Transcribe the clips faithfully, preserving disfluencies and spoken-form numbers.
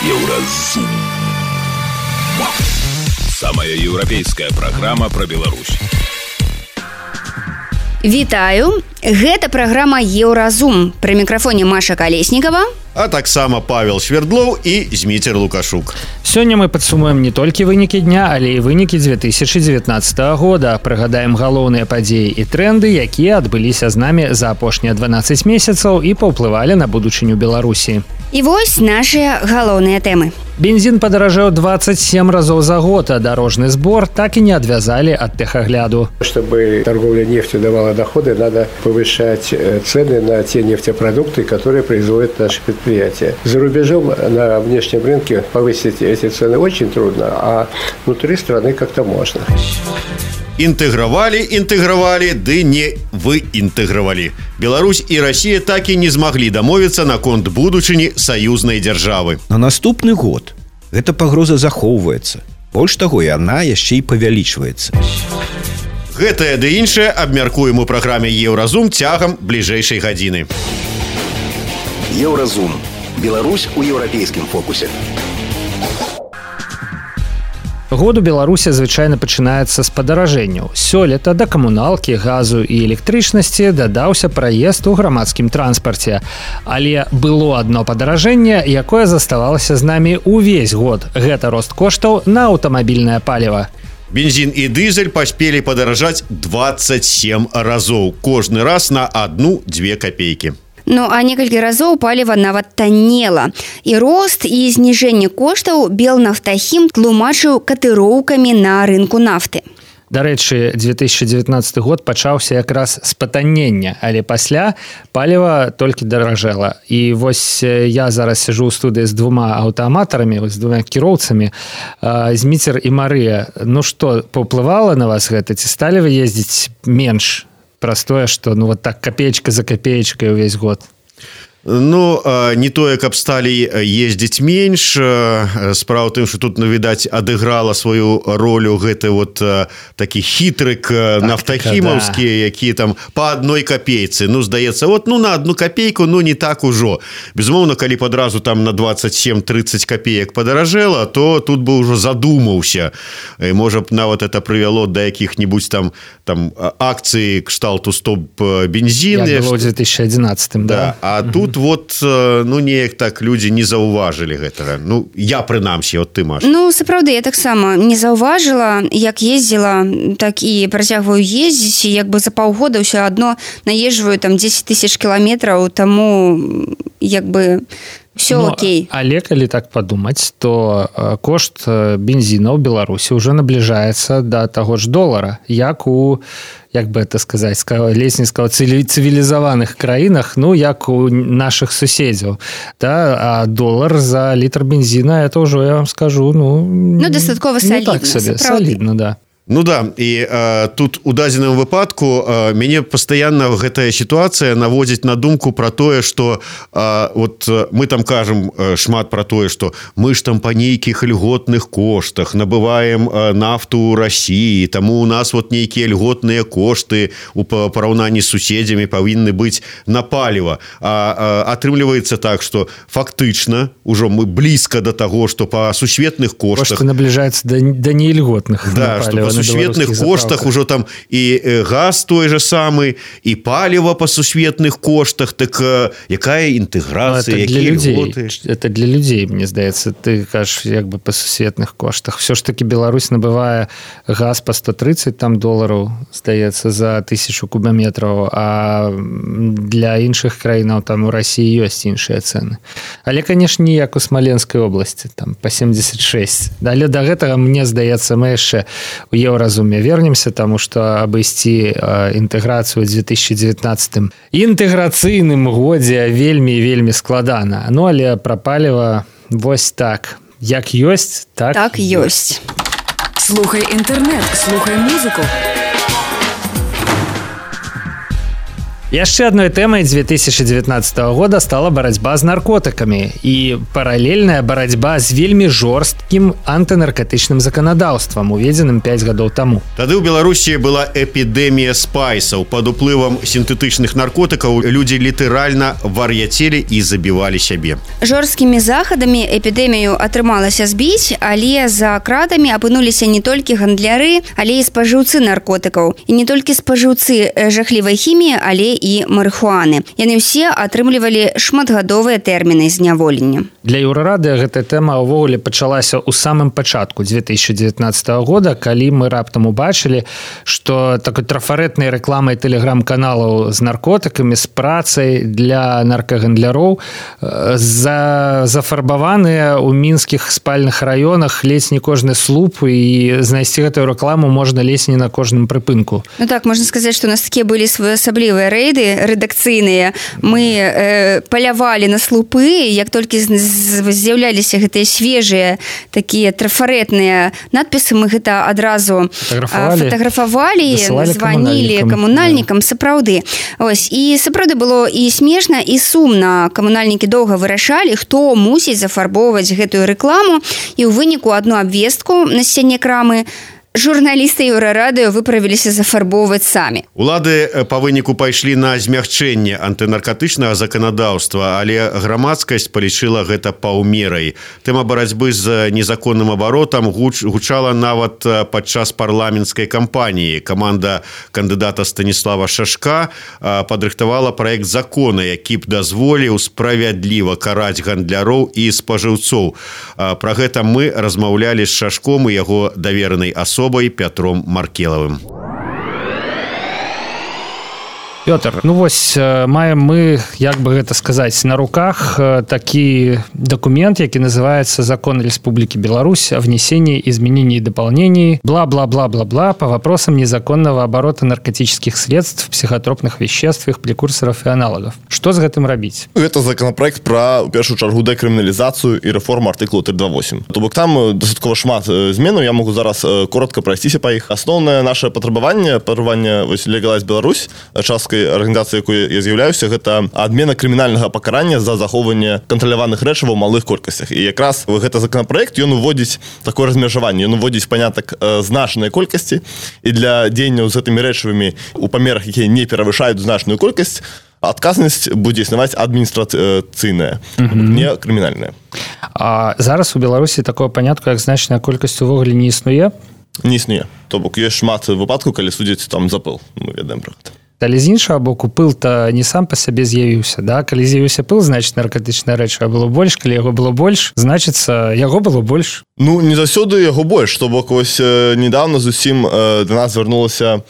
Еўразум. Самая еўрапейская праграма пра Беларусь. Вітаю! Гэта праграма «Еўразум». Пры мікрафоне Маша Калеснікава. А таксама Павел Свердлоў і Зміцер Лукашук. Сёння мы падсумуем не толькі вынікі дня, але і вынікі две тысячы дзевятнаццатага года. Прыгадаем галоўныя падзеі і тренды, якія адбыліся з намі за апошнія дванаццаць месяцаў і паўплывалі на будучыню Беларусі. І вось нашыя галоўныя тэмы. Бензин падаражэў двадцать семь разоў за год, а дорожный сбор так и не отвязали от техогляду. Чтобы торговля нефтью давала доходы, надо повышать цены на те нефтепродукты, которые производят наши предприятия. За рубежом на внешнем рынке повысить эти цены очень трудно, а внутри страны как-то можно. Інтэгравалі, інтэгравалі, ды не выінтэгравалі. Беларусь і Расія так і не змаглі дамовіцца наконт будучыні саюзнай дзяржавы. На наступны год гэта пагроза захоўваецца. Больш таго, яна яшчэ і павялічваецца. Гэтае ды іншае абмяркуем у праграме «Еўразум» цягам бліжэйшай гадзіны. Еўразум. Беларусь у еўрапейскім фокусе. Год у Беларусі звычайна пачынаецца з падаражэнняў. Сёлета да камуналкі, газу і электрычнасці дадаўся праезд у грамадскім транспарце. Але было адно падаражэнне, якое заставалася з намі ўвесь год. Гэта рост коштаў на аўтамабільнае паліва. Бензин і дызель паспелі падаражаць двадцать семь разоў. Кожны раз на одну-две копейкі. Ну, а некалькі разоў паліва нават таннела. І рост і зніжэнне коштаў Белнафтахім тлумачыў катыроўкамі на рынку нафты. Дарэчы, две тысячи дзевятнаццаты год пачаўся якраз з патаннення, але пасля паліва толькі даражэла. І вось я зараз сижу ў студыі з двума аўтааматарамі, з двума кіроўцамі, Зміцер і Марыя. Ну што, паўплывала на вас гэта? Ці сталі вы ездзіць менш? Простое, что ну вот так копеечка за копеечкой весь год. Ну, не тое, каб сталі ездзіць менш. Справа ў тым, што тут, ну, відаць, адыграла сваю ролю гэты вот такі хітрык нафтахімаўскі, да, які там па адной копейцы. Ну, здаецца, вот, ну, на одну копейку, ну, не так ужо. Безумоўна, калі падразу там на двадцать семь тридцать копеек падаражэла, то тут бы ўжо задумаўся. І, можа б, нават это прывяло да якіх-небудзь там, там акцыі кшталту стоп-бензін. Як было ў две тысячи одиннадцатым, да. Да. А тут вот, ну, неяк так людзі не заўважылі гэтага. Ну, я прынамсі, от ты, Маша. Ну, сапраўды, я таксама не заўважыла, як ездзіла, так і працягваю ездзіць, і як бы за паўгода ўсё адно наезджваю там десять тысяч кіламетраў, таму як бы все ну, окей. Але калі так падумаць, то кошт бензіна ў Беларусі ўжо набліжаецца да таго ж долара, як у, як бы это сказаць, ледзь сказаў, цывілізаваных краінах, ну, як у нашых суседзяў. Да? А долар за літр бензіна, это ўжо, я вам скажу, ну... Ну, дастаткова солідна. Ну, так сабе, солідна, да. Ну да, і э, тут у дадзеным выпадку э, мяне пастаянна гэтая сітуацыя наводзіць на думку пра тое, што э, вот мы там кажам э, шмат пра тое, што мы ж там па нейкіх льготных коштах набываем э, нафту ў Расіі, таму у нас вот нейкія льготныя кошты у параўнанні з суседзямі павінны быць на паліва. А э, атрымліваецца так, што фактычна ўжо мы блізка да таго, што па сусветных коштах... Кошты набліжаюцца да, да неільготных да, на паліва. Па сусветных коштах ужо там і газ той же самы, і паліва па сусветных коштах, так якая інтэграцыя, якія льготы? Это для людзей, мне здаецца. Ты кажаш, як бы па сусветных коштах. Все ж таки Беларусь набывае газ па сто тридцать там долараў, здаецца, за тысячу кубометраў, а для іншых краінаў там у Расіі ёсць іншыя цэны. Але, канешне, не як у Смаленскай обласці, там па семьдесят шесть. Але да гэтага, мне здаецца, мы яшчэ у Еўразуме вернемся, таму што абысці інтэграцыю ў две тысячи девятнадцатым інтэграцыйным годзе вельмі вельмі складана. Ну, але пра паліва вось так. Як ёсць, так, так ёсць. Слухай інтэрнэт, слухай музыку. Яшчэ адной тэмай две тысячи девятнадцатого года стала барацьба з наркотыкамі і паралельная барацьба з вельмі жорсткім антынаркотычным заканадаўствам, уведзеным пяць гадоў таму. Тады ў Беларусі была эпідэмія спайсаў. Пад уплывам сінтэтычных наркотыкаў людзі літаральна вар'яцелі і забівалі сябе. Жорсткімі захадамі эпідэмію атрымалася збіць, але за кратамі апынуліся не толькі гандляры, але і спажыўцы наркотыкаў. І не толькі спажыўцы жахлівай хіміі, але і марыхуаны. Яны ўсе атрымлівалі шматгадовыя тэрміны зняволення. Для Еўрарадыё гэтая тэма ўвогуле пачалася ў самым пачатку две тысячи девятнадцатого года, калі мы раптам убачылі, што такой трафарэтнай рэкламай тэлеграм-каналаў з наркотыкамі, з працай для наркагандляроў за, зафарбаваныя ў мінскіх спальных раёнах ледзь не кожны слуп, і знайсці гэтую рэкламу можна ледзь не на кожным прыпынку. Ну так, можна сказаць, што у нас такія былі своеасаблівыя рэйды рэдакцыйныя. Мы э, палявалі на слупы, як толькі з'яўляліся гэтыя свежыя такія трафарэтныя надпісы, мы гэта адразу фатаграфавалі, фатаграфавалі званілі камунальнікам, да. Сапраўды. Ось, і сапраўды было і смешна, і сумна. Камунальнікі доўга вырашалі, хто мусіць зафарбоўваць гэтую рэкламу, і ў выніку адну абвестку на сцяне крамы журналісты Еўрарадыё выправіліся зафарбоўваць самі. Улады па выніку пайшлі на змягчэнне антынаркатычнага заканадаўства, але грамадскасць палічыла гэта паўмерай. Тэма барацьбы з незаконным абаротам гуч, гучала нават падчас парламенцкай кампаніі. Каманда кандыдата Станіслава Шашка падрыхтавала праект закона, які б дазволіў справядліва караць гандляроў і спажыўцоў. Пра гэта мы размаўлялі з Шашком і яго даверанай асобай Пятром Маркелавым. Пётр, ну вось маем мы, як бы гэта сказаць, на руках такі документ, які называется «Закон Республики Беларусь о внесении изменений и дополнений бла-бла-бла-бла-бла по вопросам незаконного оборота наркотических средств, психотропных веществ, их прекурсоров и аналогов». Что с гэтым рабіць? Гэта законопроект про, у першую чаргу, дэкрыміналізацыю і рэформу артыкулу три два восемь. То бок там дастаткова шмат зменаў, я могу зараз коротко прайсціся па іх. Асноўнае наше патрабаванне, патрабаванне Легалайз Беларусь, частка арганізацыі, якой я з'яўляюся, гэта адмена крымінальнага пакарання за захоўванне кантраляваных рэчываў у малых колькасцях. І якраз гэта законапраект, ён уводзіць такое размежаванне, ён уводзіць панятак значнай колькасці, і для дзеянняў з гэтымі рэчывамі у памерах, якія не перавышаюць значную колькасць, адказнасць будзе існаваць адміністрацыйная, не крымінальная. А зараз у Беларусі такое панятку, як значная колькасць увогуле не існуе? Не існуе. То бок ёсць шмат выпадкаў, калі судзяць там за пыл. Мы ведаем пра гэта. Але з іншага боку, пыл-то не сам па сабе з'явіўся, да? Калі з'явіўся пыл, значыць наркотычная рэчыва было больш, калі яго было больш, значыцца яго было больш. Ну, не заўсёды яго больш, то бок вось недавно зусім э, до нас звярнулася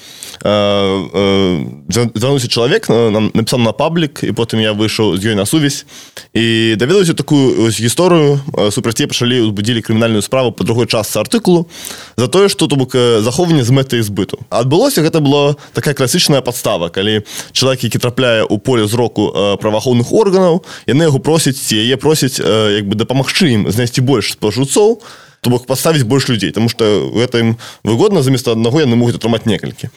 э, э, звярнуўся чалавек, нам напісаў на паблік, і потым я выйшаў з ёй на сувязь, і даведаўся такую ось гісторыю, супраць яе пачалі узбудзілі крымінальную справу па другой частцы артыкулу за тое, што то бок захоўванне з мэтай збыту. Адбылося, гэта была такая класічная падстава, калі чалавек, які трапляе ў поле зроку праваахоўных органаў, яны яго просяць, ці яе просяць як бы дапамагчы ім знайсці больш спажыўцоў, то бок паставіць больш людзей, таму што гэта ім выгодна, замест аднаго яны могуць атрымаць некалькі.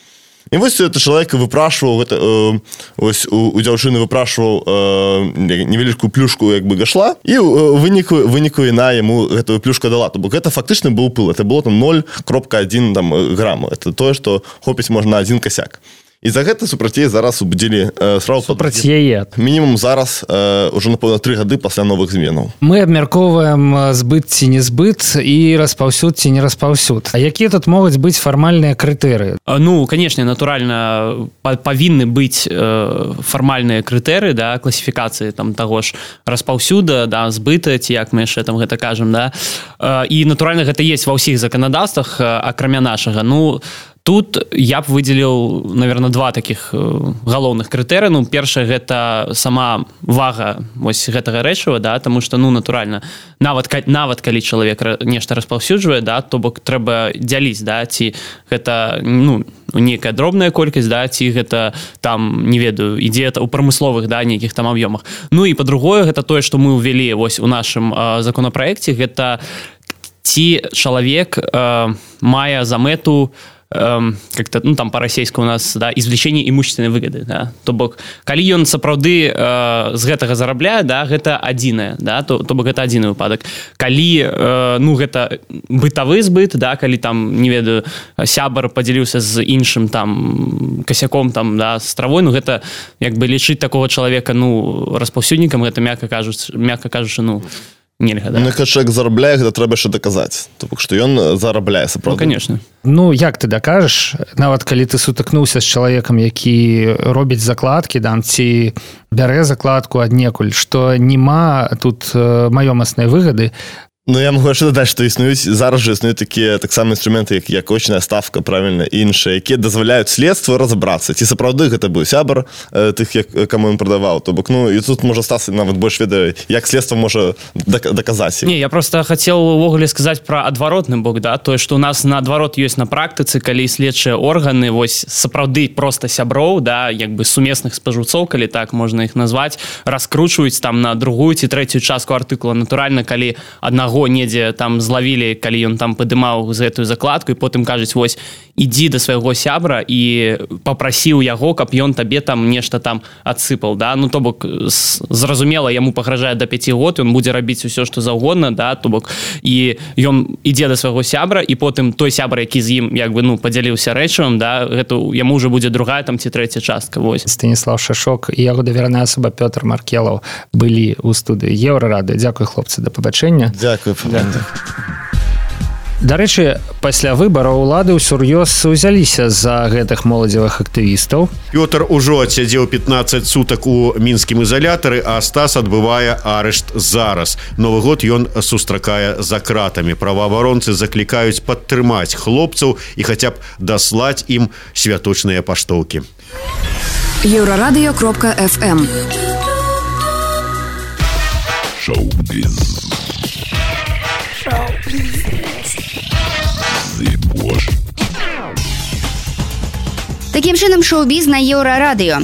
І вось это чалавек выпрашваў, гэта, э, ось у, у дзяўчыны выпрашваў э, невялічкую плюшку як бы гашла, і ў выніку, выніку яна яму гэтую плюшку дала. То бок гэта фактычна быў пыл, это было там ноль кропка адзін там грама. Это тое, што хопіць можна адзін касяк. І за гэта супраць яе зараз убудзілі э, справу супраць яе. Мінімум зараз э, ўжо напэўна тры гады пасля новых зменаў. Мы абмяркоўваем збыт ці не збыт і распаўсюд ці не распаўсюд. А якія тут могуць быць фармальныя крытэрыі? Ну, канешне, натуральна павінны быць э, фармальныя крытэрыі, да, класіфікацыі там таго ж распаўсюда, да, збыта, ці як мы яшчэ там гэта кажам, да. Э, і натуральна гэта есть ва ўсіх заканадаўствах, акрамя нашага. Ну, тут я б выдзеліў, наверное, два таких галоўных крытэрыя. Ну, першае, гэта сама вага вось гэтага рэчыва, да, таму што, ну, натуральна, нават, нават калі чалавек нешта распаўсюджвае, да, то бок трэба дзяліць, да, ці гэта, ну, нейкая дробная колькасць, да, ці гэта там, не ведаю, ідзе у прамысловых, да, нейкіх там аб'ёмах. Ну, і па-другое, гэта тое, што мы ўвялі вось у нашым э, законапраекце, гэта ці чалавек э, мае за мэту эм, как-то, ну, там по-расейску у нас, да, извлечение имущественной выгоды, да, то бок, калі ён сапраўды э, з гэтага зарабляе, да, гэта адзінае, да, то, то бок гэта адзіны выпадак. Калі, э, ну, гэта бытавы збыт, да, калі там, не ведаю, сябар падзяліўся з іншым там касяком, там, да, з травой, ну, гэта, як бы, лічыць такого чалавека, ну, распаўсюднікам, гэта, мякка кажучы, мякка кажучы, ну, нельга, да. Ну, калі чалавек зарабляе, гэта трэба яшчэ даказаць. То бок, што ён зарабляе, сапраўды. Ну, конечно. Ну, як ты дакажаш, нават калі ты сутыкнуўся з чалавекам, які робіць закладкі, там, ці бярэ закладку аднекуль, што нема тут маёмаснай выгады. Ну, я могу яшчэ дадаць, што існуюць, зараз жа існуюць такія таксама інструменты, як, як очная ставка, правільна, іншыя, якія дазваляюць следству разабрацца, ці сапраўды гэта быў сябар э, тых, як, каму ён прадаваў. То бок, ну, і тут можа стацца нават больш ведае, як следства можа даказаць. Не, я просто хацеў увогуле сказаць пра адваротны бок, да, тое, што у нас наадварот ёсць на практыцы, калі следчыя органы, вось, сапраўды проста сяброў, да, як бы сумесных спажыўцоў, калі так можна іх назваць, раскручваюць там на другую ці трэцюю частку артыкула. Натуральна, калі аднаго недзе там злавілі, калі ён там падымаў за гэтую закладку, і потым кажуць, вось, ідзі да свайго сябра і папрасіў яго, каб ён табе там нешта там адсыпаў, да, ну, то бок, зразумела, яму пагражае да пяці год, ён будзе рабіць усё, што заўгодна, да, то бок, і ён ідзе да свайго сябра, і потым той сябра, які з ім, як бы, ну, падзяліўся рэчывам, да, гэта яму ўжо будзе другая там ці трэця частка, вось. Станіслав Шашок і яго даверная асоба Пётр Маркелаў былі ў студыі Еўрарады. Дзякуй, хлопцы, да пабачэння. Дзякуй. Дарэчы, пасля выбараў улады ўсур'ёз узяліся за гэтых моладзевых актывістаў. Пётр ужо адсядзеў пятнаццаць сутак у мінскім ізалятары, а Стас адбывае арышт зараз. Новы год ён сустракае за кратамі. Праваабаронцы заклікаюць падтрымаць хлопцаў і хаця б даслаць ім святочныя паштоўкі. Еўрарадыё кропка эф эм. Шоу-біз. Такім чынам, шоу-біз на Еўрарадыё.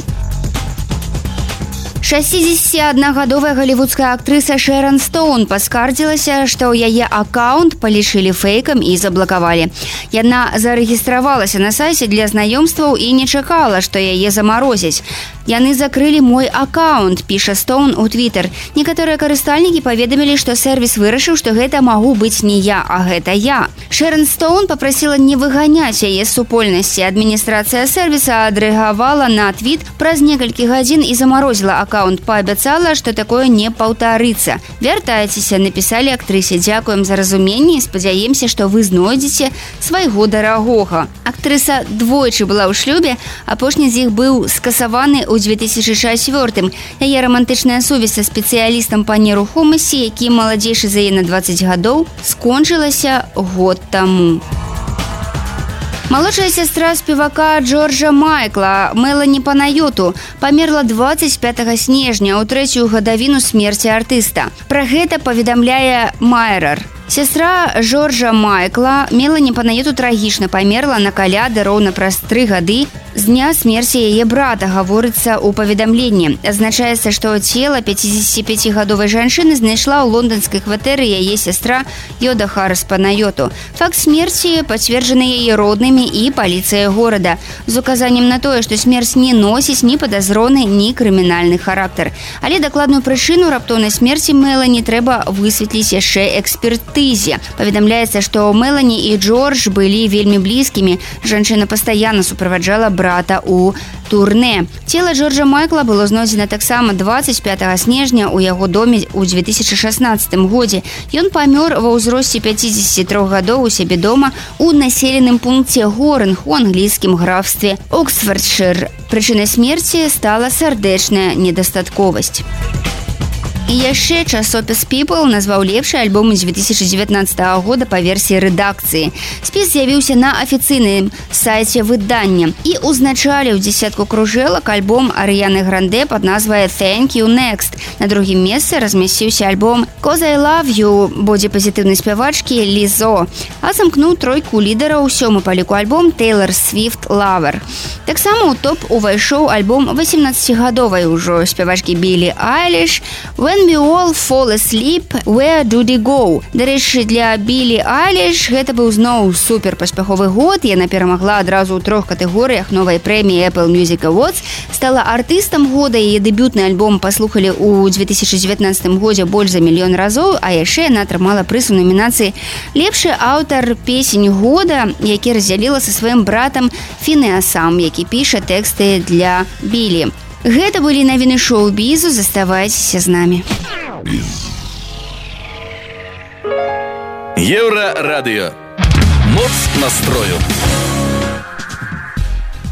шэсцідзесятаднагадовая галівудская актрыса Шэрон Стоун паскардзілася, што ў яе аккаунт палічылі фэйкам і заблакавалі. Яна зарэгістравалася на сайце для знаёмстваў і не чакала, што яе замарозяць. Яны закрылі мой аккаунт, піша Стоун у Твиттер. Некаторыя карыстальнікі паведамілі, што сервіс вырашыў, што гэта магу быць не я, а гэта я. Шэрон Стоун папрасіла не выганяць яе з супольнасці. Адміністрацыя сервіса адрэагавала на твіт праз некалькі гадзін і замарозіла аккаунт, паабяцала, што такое не паўтарыцца. Вяртайцеся, напісалі актрысе. Дзякуем за разуменне і спадзяемся, што вы знойдзеце свайго дарагога. Актрыса двойчы была ў шлюбе, апошні з іх быў скасаваны у две тысячи чацвёртым. Яе рамантычная сувязь са спецыялістам па нерухомасці, які маладзейшы за яе на дваццаць гадоў, скончылася год таму. Малодшая сястра спевака Джорджа Майкла, Мелані Панайоту, памерла дваццаць пятага снежня ў трэцюю гадавіну смерці артыста. Пра гэта паведамляе Майрар. Сястра Джорджа Майкла, Мелані Панайоту, трагічна памерла на каляды роўна праз тры гады з дня смерці яе брата, гаворыцца ў паведамленні. Азначаецца, што цела пяцідзесяціпяцігадовай жанчыны знайшла ў лонданскай кватэры яе сястра Йода Харрис Панайоту. Факт смерці пацверджаны яе роднымі і паліцыяй горада з указаннем на тое, што смерць не носіць ні падазроны, ні крымінальны характар. Але дакладную прычыну раптоўнай смерці Мелані трэба высветліць яшчэ экспертызе. Паведамляецца, што Мелані і Джордж былі вельмі блізкімі. Жанчына пастаянна суправаджала брата у турне. Цела Джорджа Майкла было знойдзена таксама дваццаць пятага снежня ў яго доме ў две тысячи шаснаццатым годзе. Ён памёр ва ўзросце пяцідзесяці трох гадоў у сябе дома у населеным пункце Горынг у англійскім графстве Оксфордшир. Прычынай смерці стала сардэчная недастатковасць. І яшчэ часопіс People назваў лепшы альбом две тысячи дзевятнаццатага года па версіі рэдакцыі. Спіс з'явіўся на афіцыйным сайце выдання і узначаліў дзесятку кружэлак альбом Арыяны Гранде пад назвай Thank You Next. На другім месцы размясціўся альбом Cause I Love You бодзіпазітыўнай спявачкі Лізо, а замкнуў тройку лідараў сёмы па ліку альбом Taylor Swift Lover. Таксама ў топ увайшоў альбом васемнаццацігадовай ужо спявачкі Білі Айліш When When we all fall asleep, where do they go? Дарэчы, для Білі Айліш гэта быў зноў супер паспяховы год. Яна перамагла адразу ў трох катэгорыях новай прэміі Apple Music Awards, стала артыстам года. Яе дэбютны альбом паслухалі ў две тысячы дзевятнаццатым годзе больш за мільён разоў, а яшчэ яна атрымала прыз у номінацыі «Лепшы аўтар песень года», які раздзяліла са сваім братам Фінеасам, які піша тэксты для Білі. Гэта былі навіны шоу-бізу, заставайцеся з намі. Еўрарадыё. Моц настрою.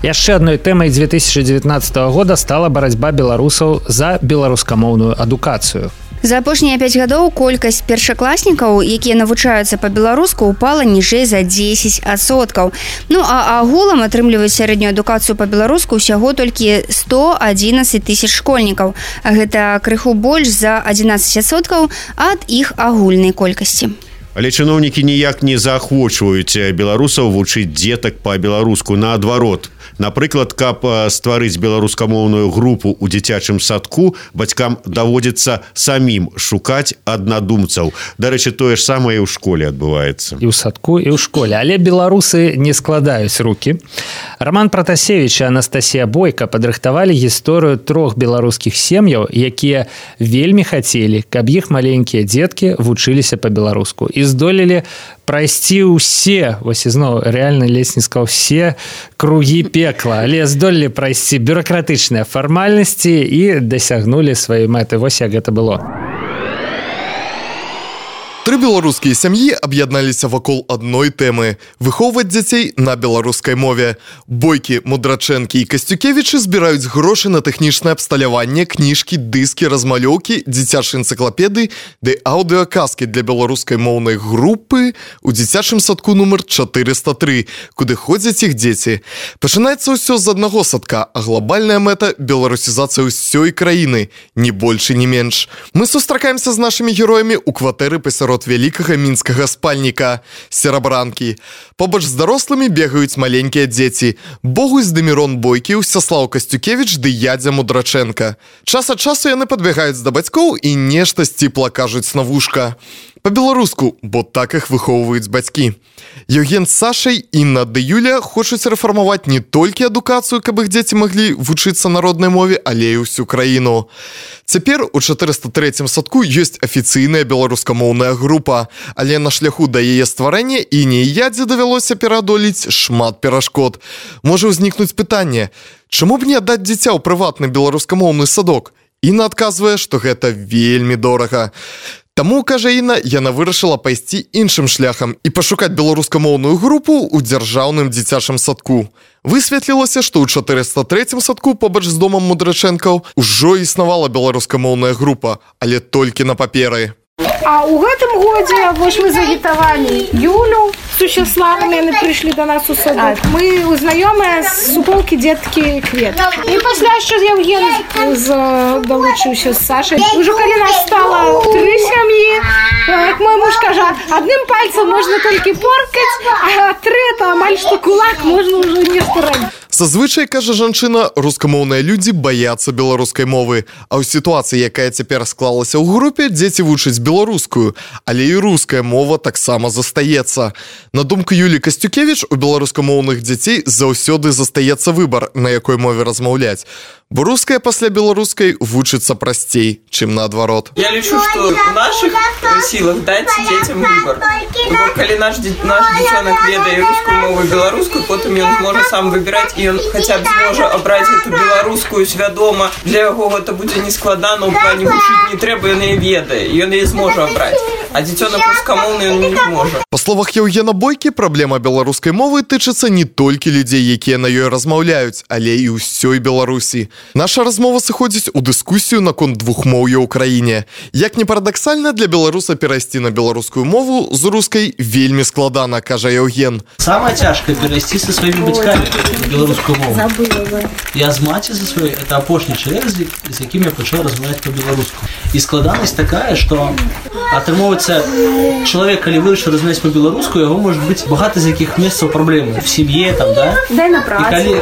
Яшчэ адной тэмай две тысячи девятнадцатого года стала барацьба беларусаў за беларускамоўную адукацыю. За апошнія пяць гадоў колькасць першакласнікаў, якія навучаюцца па-беларуску, упала ніжэй за дзесяць адсоткаў. Ну, а агулам атрымліваюць сярэднюю адукацыю па-беларуску ўсяго толькі сто адзінаццаць тысяч школьнікаў. А гэта крыху больш за адзінаццаць адсоткаў ад іх агульнай колькасці. Але чыноўнікі ніяк не заахвочваюць беларусаў вучыць дзетак па-беларуску. Наадварот, напрыклад, каб стварыць беларускамоўную групу ў дзіцячым садку, бацькам даводзіцца самім шукаць аднадумцаў. Дарэчы, тое ж самае і ў школе адбываецца. І ў садку, і ў школе. Але беларусы не складаюць рукі. Роман Пратасевіч і Анастасія Бойка падрыхтавалі гісторыю трох беларускіх сем'яў, якія вельмі хацелі, каб іх маленькія дзеткі вучыліся па-беларуску. І здолелі прайсці ўсе, вось ізноў рэальна лесні сказаў, все кругі пекла, але здолелі прайсці бюракратычныя фармальнасці і дасягнулі сваёй мэты. Вось як гэта было. Тры беларускія сям'і аб'ядналіся вакол адной тэмы – выхоўваць дзяцей на беларускай мове. Бойкі, Мудрачэнкі і Касцюкевічы збіраюць грошы на тэхнічнае абсталяванне, кніжкі, дыскі, размалёўкі, дзіцячыя энцыклапедыі ды аўдыаказкі для беларускай моўнай групы ў дзіцячым садку нумар чатырыста тры, куды ходзяць іх дзеці. Пачынаецца ўсё з аднаго садка, а глобальная мэта – беларусізацыя ўсёй краіны, ні больш і ні менш. Мы сустракаемся з нашымі героямі ў кватэры пасярод вялікага мінскага спальніка Серабранкі. Побач з дарослымі бегаюць маленькія дзеці. Богусь ды Мірон Бойкі, Усяслаў Касцюкевіч ды Ядзя Мудрачэнка. Час ад часу яны падбягаюць да бацькоў і нешта сціпла кажуць на вушка. Па-беларуску, бо так іх выхоўваюць бацькі. Евген з Сашай, Інна ды Юля хочуць рэфармаваць не толькі адукацыю, каб іх дзеці маглі вучыцца народнай мове, але і ўсю краіну. Цяпер у чатырыста трэцім садку ёсць афіцыйная беларускамоўная група, але на шляху да яе стварэння Іне і Ядзе давялося пераадолець шмат перашкод. Можа ўзнікнуць пытанне, чаму б не аддаць дзіця ў прыватны беларускамоўны садок? Інна адказвае, што гэта вельмі дорага. Таму, кажа Інна, яна вырашыла пайсці іншым шляхам і пашукаць беларускамоўную групу ў дзяржаўным дзіцячым садку. Высветлілася, што ў чатырыста трэцім садку побач з домам Мудрачэнкаў ужо існавала беларускамоўная група, але толькі на паперы. А ў гэтым годзе вось мы загітавалі Юлю з Усяславам, яны прыйшлі да нас у садок. Мы знаёмыя з суполкі дзеткі Квет. І пасля яшчэ Евген далучыўся з Сашай. Ужо калі нас стала тры сям'і, як мой муж кажа, адным пальцам можна толькі поркаць, а тры это амаль што кулак можна ўжо нешта рабіць. Зазвычай, кажа жанчына, рускамоўныя людзі баяцца беларускай мовы, а ў сітуацыі, якая цяпер склалася ў групе, дзеці вучаць беларускую, але і руская мова таксама застаецца. На думку Юлі Касцюкевіч, у беларускамоўных дзяцей заўсёды застаецца выбар, на якой мове размаўляць. Бо руская пасля беларускай вучыцца прасцей, чым наадварот. Я лічу, што ў нашых сілах даць дзецям выбар. Бо калі наш дзіцёнак ведае рускую мову і беларускую, потым ён зможа сам выбіраць, і ён хаця б зможа абраць эту беларускую свядома. Для яго гэта будзе нескладана, у плане вучыць не трэба, ён яе ведае, і ён яе зможа абраць. А дзіцёнак рускамоўны ён не зможа. Па словах Евгена Бойкі, праблема беларускай мовы тычыцца не толькі людзей, якія на ёй размаўляюць, але і ўсёй Беларусі. Наша размова сыходзіць у дыскусію наконт двухмоўя ў краіне. Як не парадаксальна, для беларуса перайсці на беларускую мову з рускай вельмі складана, кажа Евген. Самае цяжкае перайсці са сваімі бацькамі на беларускую мову. Я з маці за сваёй, это апошні чалавек, з якім я пачаў размаўляць па-беларуску. І складанасць такая, што атрымоўваць атрымліваецца, чалавек, калі вырашыў размаўляць па-беларуску, яго можа быць багата з якіх месцаў праблемы в сям'і, там, да? Дай на працу. І калі,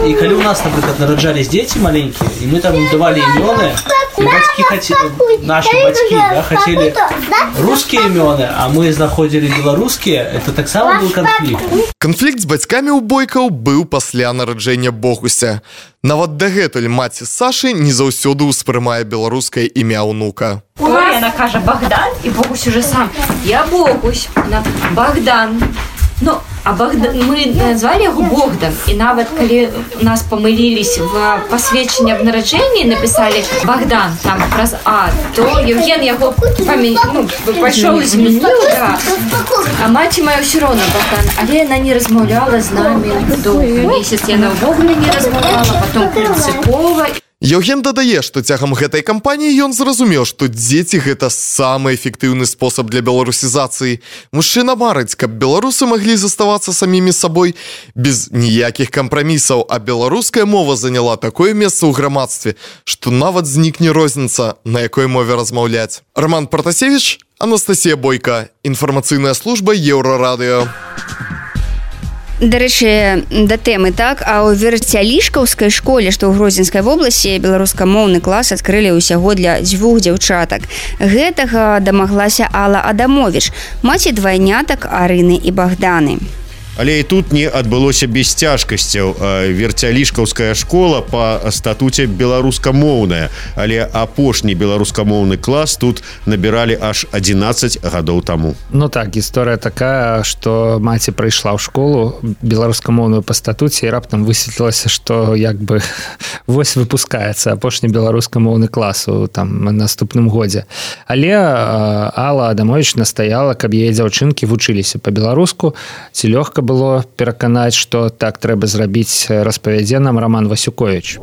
і калі у нас, напрыклад, нараджались дзеці маленькія, і мы там давали імёны, і бацькі хацелі, наши бацькі, да, хацелі рускія імёны, а мы знаходзілі беларускія, это таксама быў канфлікт. Канфлікт з бацькамі ў бойкаў быў пасля нараджэння Богуся. Нават дагэтуль маці Сашы не заўсёды ўспрымае беларускае імя ўнука. Ой, яна кажа Богдан, і Богусь уже сам. Я Богусь, на Богдан. Ну, а Богдан, мы назвали яго Богдан, і нават калі нас памылілись в пасведчанні аб нараджэнні, написали Богдан там праз А, то Евген яго памя... ну, пайшоў і змяніў, да. А маці моя ўсё роўна Богдан, але яна не размаўляла з намі доўгі месяц, яна ўвогуле не размаўляла, потом прынцыпова. Евген дадае, што цягам гэтай кампаніі ён зразумеў, што дзеці гэта самы эфектыўны спосаб для беларусізацыі. Мужчына марыць, каб беларусы маглі заставацца самімі сабой без ніякіх кампрамісаў, а беларуская мова заняла такое месца ў грамадстве, што нават знікне розніца, на якой мове размаўляць. Роман Протасевич, Анастасія Бойка, інфармацыйная служба Еўрарадыё. Дарэчы, да тэмы, так, а ў Верцялішкаўскай школе, што ў Гродзенскай вобласці, беларускамоўны клас адкрылі ўсяго для дзвюх дзяўчатак. Гэтага дамаглася Алла Адамович, маці двайнятак Арыны і Богданы. Але і тут не адбылося без цяжкасцяў. Верцялішкаўская школа па статуце беларускамоўная, але апошні беларускамоўны клас тут набіралі аж адзінаццаць гадоў таму. Ну так, гісторыя такая, што маці прыйшла ў школу беларускамоўную па статуце і раптам высветлілася, што як бы вось выпускаецца апошні беларускамоўны клас у там наступным годзе. Але Алла Адамович настаяла, каб яе дзяўчынкі вучыліся па-беларуску. Ці лёгка было пераканаць, што так трэба зрабіць, распавядзе нам Роман Васюкович.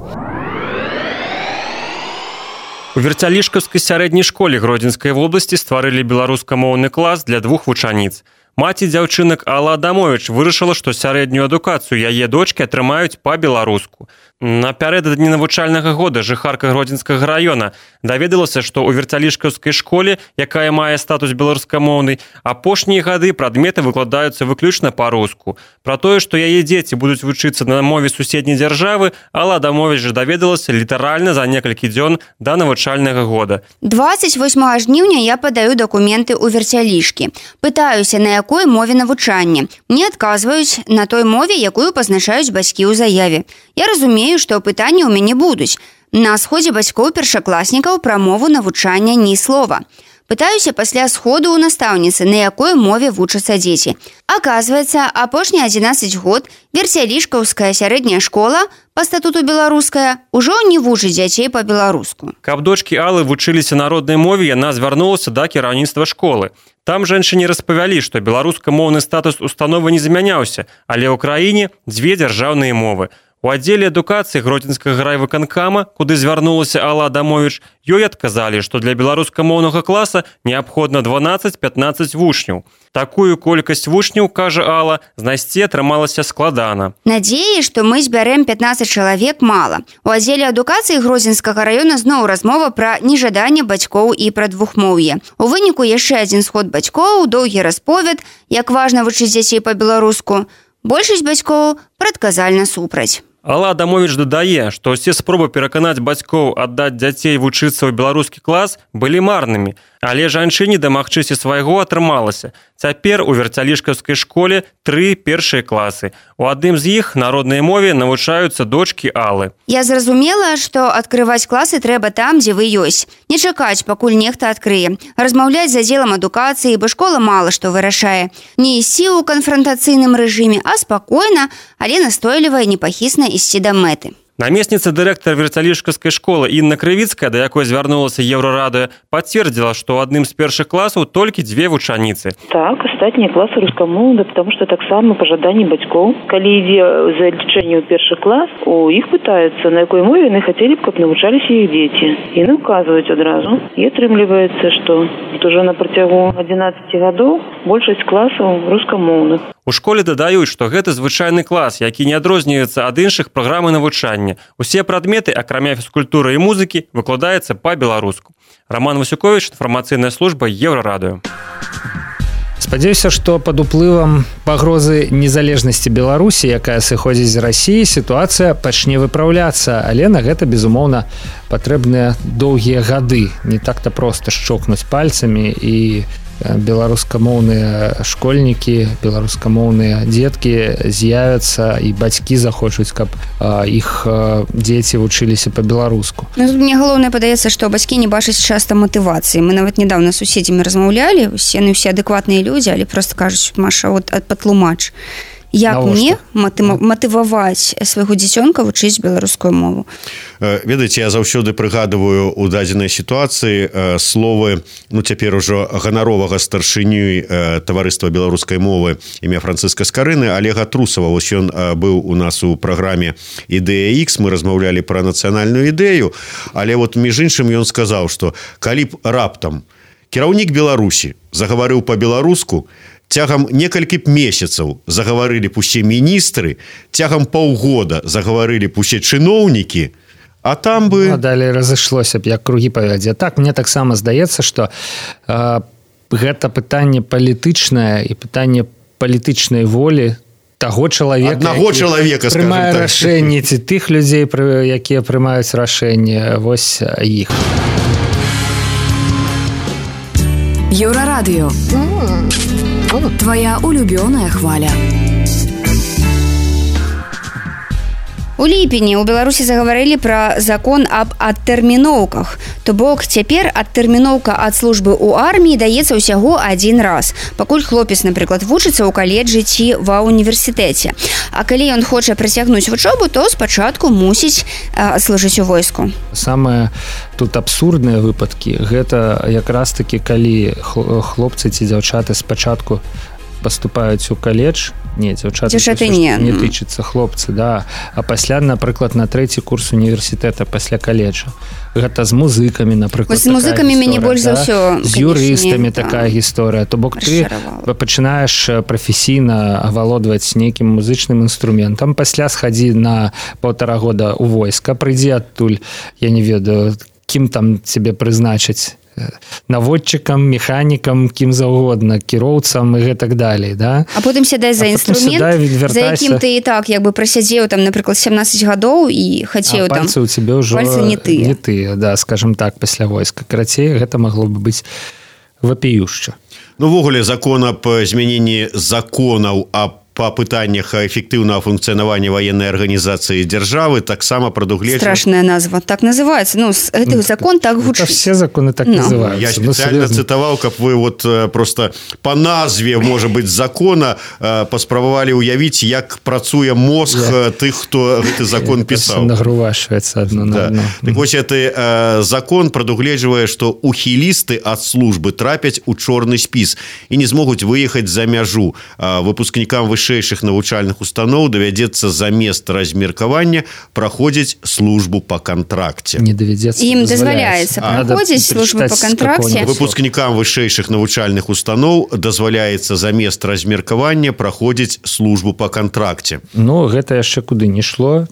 У Верцялішкаўскай сярэдняй школе Гродзенскай вобласці стварылі беларускамоўны клас для двух вучаніц. Маці дзяўчынак Алла Адамович вырашыла, што сярэднюю адукацыю яе дочкі атрымаюць па-беларуску. Напярэдадні навучальнага года жыхарка Гродзенскага раёна даведалася, што ў Верцялішкаўскай школе, якая мае статус беларускамоўнай, апошнія гады прадметы выкладаюцца выключна па-руску. Пра тое, што яе дзеці будуць вучыцца на мове суседняй дзяржавы, Алла Адамович даведалася літаральна за некалькі дзён да навучальнага года. дваццаць восьмага жніўня я падаю дакументы ў Верцялішкі. Пытаюся, на якой мове навучання. Мне адказваюць на той мове, якую пазначаюць бацькі ў заяве. Я разумею, што пытанні ў мяне будуць. На сходзе бацькоў першакласнікаў пра мову навучання ні слова. Пытаюся пасля сходу ў настаўніцы, на якой мове вучацца дзеці. Аказваецца, апошні адзінаццаць год Верцялішкаўская сярэдняя школа, па статуту беларуская, ужо не вучыць дзяцей па-беларуску. Каб дочкі Аллы вучыліся на роднай мове, яна звярнулася да кіраўніцтва школы. Там жанчыне распавялі, што беларускамоўны статус установы не змяняўся, але ў краіне дзве дзяржаўныя мовы. У аддзеле адукацыі Гродзенскага райвыканкама, куды звярнулася Алла Адамович, ёй адказалі, што для беларускамоўнага класа неабходна дванаццаць-пятнаццаць вучняў. Такую колькасць вучняў, кажа Алла, знайсці атрымалася складана. Надзеі, што мы збярэм пятнаццаць чалавек, мала. У аддзеле адукацыі Гродзенскага раёна зноў размова пра нежаданне бацькоў і пра двухмоўе. У выніку яшчэ адзін сход бацькоў, доўгі расповед, як важна вучыць дзяцей па-беларуску. Большасць бацькоў прадказальна супраць. Алла Адамович дадае, што ўсе спробы пераканаць бацькоў аддаць дзяцей вучыцца ў беларускі клас былі марнымі, але жанчыне дамагчыся свайго атрымалася. Цяпер у Верцялішкаўскай школе тры першыя класы. У адным з іх на роднай мове навучаюцца дочкі Аллы. Я зразумела, што адкрываць класы трэба там, дзе вы ёсць. Не чакаць, пакуль нехта адкрые. Размаўляць з аддзелам адукацыі, бо школа мала што вырашае. Не ісці ў канфрантацыйным рэжыме, а спакойна, але настойліва і непахісна ісці да мэты. Намесніца дырэктара Верцялішкаўскай школы Інна Крывіцкая, да якой звярнулася Еўрарадыё, пацвердзіла, што ў адным з першых класаў толькі дзве вучаніцы. Так, астатнія класы рускамоўныя, потому што таксама па жаданні бацькоў. Калі ідзе залічэнне ў першы клас, у іх пытаюцца, на якой мове яны хацелі б, каб навучаліся іх дзеці. І не указваюць адразу. І атрымліваецца, што ўжо на працягу адзінаццаці гадоў большасць класаў рускамоўных. У школе дадаюць, што гэта звычайны клас, які не адрозніваецца ад іншых праграмы навучання. Усе прадметы, акрамя фізкультуры і музыкі, выкладаецца па-беларуску. Роман Васюкович, інфармацыйная служба Еўрарадыё. Спадзяюся, што пад уплывам пагрозы незалежнасці Беларусі, якая сыходзіць з Расіі, сітуацыя пачне выпраўляцца, але на гэта, безумоўна, патрэбныя доўгія гады. Не так-то проста шчокнуць пальцамі і беларускамоўныя школьнікі, беларускамоўныя дзеткі з'явяцца і бацькі захочуць, каб іх дзеці вучыліся па-беларуску. Ну, тут мне галоўнае падаецца, што бацькі не бачаць часта матывацыі. Мы нават нядаўна з суседзямі размаўлялі, усе, ну, усе адэкватныя людзі, але просто кажуць: Маша, от патлумач, як мне матываваць свайго дзіцёнка вучыць беларускую мову? Ведаеце, я заўсёды прыгадываю у дадзенай сітуацыі словы, ну, цяпер ужо ганаровага старшыню таварыства беларускай мовы імя Францыска Скарыны, Олега Трусова. Вось ён быў у нас у праграме «Ідэя Х», мы размаўлялі пра нацыянальную ідэю, але вот між іншым ён сказаў, што калі б раптам кіраўнік Беларусі загаварыў па-беларуску, цягам некалькі месяцаў загаварылі б усе міністры, цягам паўгода загаварылі б усе чыноўнікі, а там бы... Ну, далей разышлося б, як кругі па вадзе. Так, мне таксама здаецца, што э, гэта пытанне палітычнае і пытанне палітычнай волі таго чалавека, аднаго чалавека, прымае так, рашэнні, ці тых людзей, якія прымаюць рашэнні, вось іх. Еўрарадыё. Твоя улюбёная хваля. У ліпені ў Беларусі загаварылі пра закон аб адтэрміноўках. То бок цяпер адтэрміноўка ад службы ў арміі даецца ўсяго адзін раз, пакуль хлопец, напрыклад, вучыцца ў каледжы ці ва ўніверсітэце. А калі ён хоча працягнуць вучобу, то спачатку мусіць а, служыць у войску. Самыя тут абсурдныя выпадкі гэта якраз такі, калі хлопцы ці дзяўчаты спачатку паступаюць у каледж, не, дзяўчаты, дзяўчаты не, не тычыцца, хлопцы, да, а пасля, напрыклад, на трэці курс універсітэта пасля каледжа. Гэта з музыкамі, напрыклад, з музыкамі мяне больш за ўсё, з юрыстамі такая гісторыя. То бок ты пачынаеш прафесійна авалодваць нейкім музычным інструментам, пасля схадзі на паўтара года ў войска, прыйдзі адтуль, я не ведаю, кім там цябе прызначаць, наводчыкам, механікам, кім заўгодна, кіроўцам і гэтак далей, да? А потым сядай за інструмент, за якім ты і так як бы прасядзеў там, напрыклад, сямнаццаць гадоў і хацеў там... А пальцы ў цябе ўжо не тыя. Не тыя, да, скажем так, пасля войска. Карацей, гэта магло бы быць вапіюшча. Ну, ввогуле, закон аб змяненні законаў аб па пытаннях эфектыўнага функцыянавання ваеннай арганізацыі дзяржавы таксама прадугледжана. Страшная назва, так называется. Ну, гэты закон так гучыць. Все законы так no. называются. Я специально ну, цытаваў, каб вы вот просто по назве, может быть, закона паспрабавалі ўявіць, як працуе мозг yeah. тых, хто гэты закон пісаў. Нагрувашваецца адно на адно. Так вось, гэты закон прадугледжвае, што ухілісты ад службы трапяць у чорны спіс і не змогуць выехаць за мяжу. Выпускнікам вышэйшых вышэйшых навучальных устаноў давядзецца замест размеркавання праходзіць службу па кантракце. Не давядзецца. Ім дазваляецца праходзіць службу па кантракце. Выпускнікам вышэйшых навучальных устаноў дазваляецца замест размеркавання праходзіць службу па кантракце. Ну, гэта яшчэ куды не шло.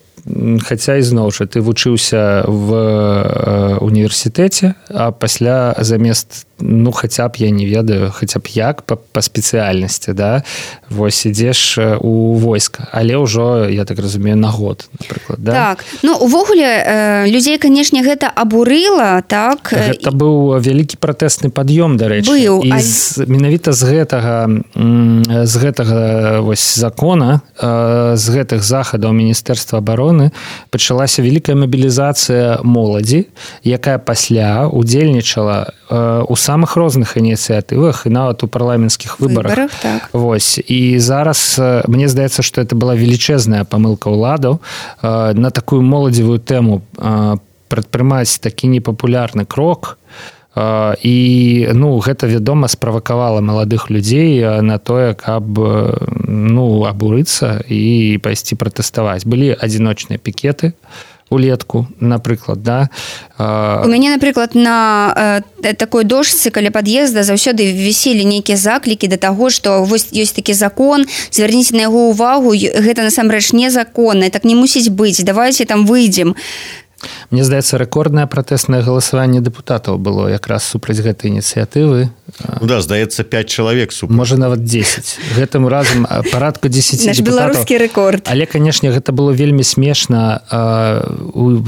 Хаця ізноў жа ты вучыўся в універсітэце, а пасля замест, ну, хаця б, я не ведаю, хаця б як па, па спецыяльнасці, да, вось ідзеш у войска, але ўжо, я так разумею, на год, напрыклад, да? Так, ну, увогуле, людзей, канешне, гэта абурыла, так? Гэта быў вялікі пратэсны пад'ём, дарэчы. Быў. І з, менавіта з гэтага, з гэтага, вось, закона, з гэтых захадаў Міністэрства абароны пачалася вялікая мабілізацыя моладзі, якая пасля удзельнічала э, у самых розных ініцыятывах і нават у парламенцкіх выбарах. Выбарах, так. Вось. І зараз э, мне здаецца, што это была велічэзная памылка ўладаў э, на такую моладзевую тэму э, прадпрымаць такі непапулярны крок. Uh, і ну, гэта, вядома, справакавала маладых людзей на тое, каб ну, абурыцца і пайсці пратэставаць. Былі адзіночныя пікеты улетку, напрыклад, да. У мяне, напрыклад, на э, такой дошцы каля пад'езда заўсёды віселі нейкія заклікі да таго, што вось ёсць такі закон, звярніце на яго ўвагу, гэта насамрэч незаконна, так не мусіць быць, давайте там выйдзем. Мне здаецца, рэкорднае пратэснае галасаванне дэпутатаў было якраз супраць гэтай ініцыятывы. Ну да, здаецца, пяць чалавек супраць. Можа, нават дзесяць. Гэтым разам парадку дзесяць Наш дэпутатаў. Наш беларускі рэкорд. Але, канешне, гэта было вельмі смешна.